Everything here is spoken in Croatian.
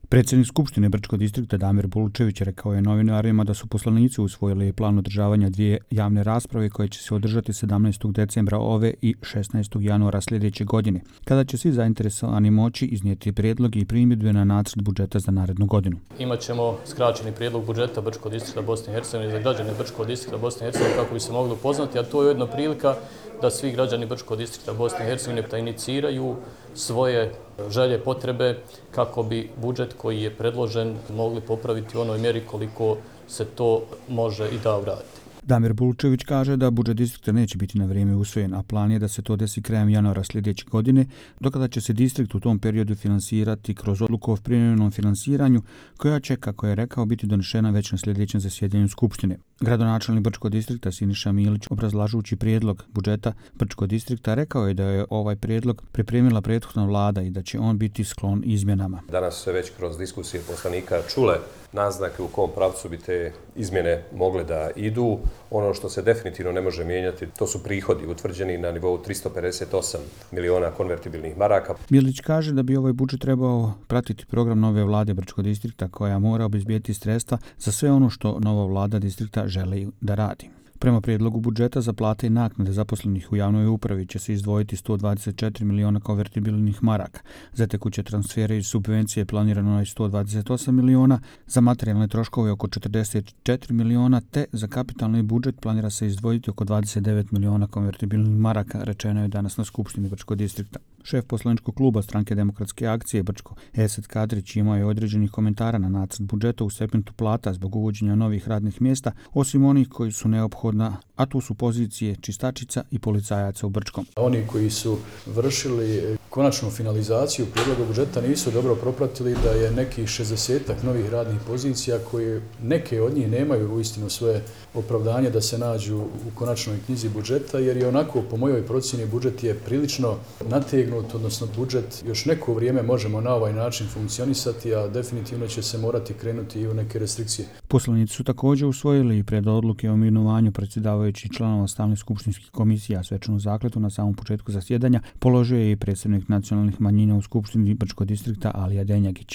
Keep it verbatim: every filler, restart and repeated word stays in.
Predsjednik Skupštine Brčkog distrikta Damir Bulučević rekao je novinarima da su poslanici usvojili plan održavanja dvije javne rasprave koje će se održati sedamnaestog decembra ove i šesnaestog januara sljedeće godine, kada će svi zainteresovani moći iznijeti prijedloge i primjedbe na nacrt budžeta za narednu godinu. Imaćemo skraćeni prijedlog budžeta Brčkog distrikta Bosne i Hercegovine za građane Brčkog distrikta Bosne i Hercegovine kako bi se mogli upoznati, a to je ujedno prilika da svi građani Brčkog distrikta Bosne i Hercegovine da iniciraju svoje želje, potrebe kako bi budžet koji je predložen mogli popraviti u onoj mjeri koliko se to može i da uraditi. Damir Bulučević kaže da budžet distrikta neće biti na vrijeme usvojen, a plan je da se to desi krajem januara sljedeće godine, dokada će se distrikt u tom periodu finansirati kroz odluku o privremenom finansiranju, koja će, kako je rekao, biti donešena već na sljedećem zasjedanju Skupštine. Gradonačelnik Brčkog distrikta Siniša Milić, obrazlažući prijedlog budžeta Brčkog distrikta, rekao je da je ovaj prijedlog pripremila prethodna vlada i da će on biti sklon izmjenama. Danas se već kroz diskusije poslanika čule naznake u kom pravcu bi te izmjene mogle da idu. Ono što se definitivno ne može mijenjati, to su prihodi utvrđeni na nivou tristo pedeset osam miliona konvertibilnih maraka. Milić kaže da bi ovaj budžet trebao pratiti program nove vlade Brčkog distrikta koja mora obezbijeti sredstva za sve ono što nova vlada distrikta želi da radi. Prema prijedlogu budžeta za plate i naknade zaposlenih u javnoj upravi će se izdvojiti sto dvadeset četiri miliona konvertibilnih maraka. Za tekuće transfere i subvencije planirano je sto dvadeset osam miliona, za materijalne troškove oko četrdeset četiri miliona, te za kapitalni budžet planira se izdvojiti oko dvadeset devet miliona konvertibilnih maraka, rečeno je danas na Skupštini Brčkog distrikta. Šef poslaničkog kluba Stranke demokratske akcije Brčko, Esad Kadrić, imao je određenih komentara na nacrt budžeta u segmentu plata zbog uvođenja novih radnih mjesta, osim onih koji su neophodna, a tu su pozicije čistačica i policajaca u Brčkom. Oni koji su vršili konačnu finalizaciju prijedloga budžeta nisu dobro propratili da je nekih šezdesetak novih radnih pozicija koje neke od njih nemaju uistinu svoje opravdanje da se nađu u konačnoj knjizi budžeta, jer je onako po mojoj procjeni budžet je prilično nategnut, odnosno budžet još neko vrijeme možemo na ovaj način funkcionisati, a definitivno će se morati krenuti i u neke restrikcije. Poslanici su također usvojili i pred odluke o imenovanju predsjedavajućih članova stalnih skupštinskih komisija. Svečanu zakletvu na samom početku zasjedanja položio je i predsjednik nacionalnih manjina u Skupštini Brčkog distrikta Alija Denjagić.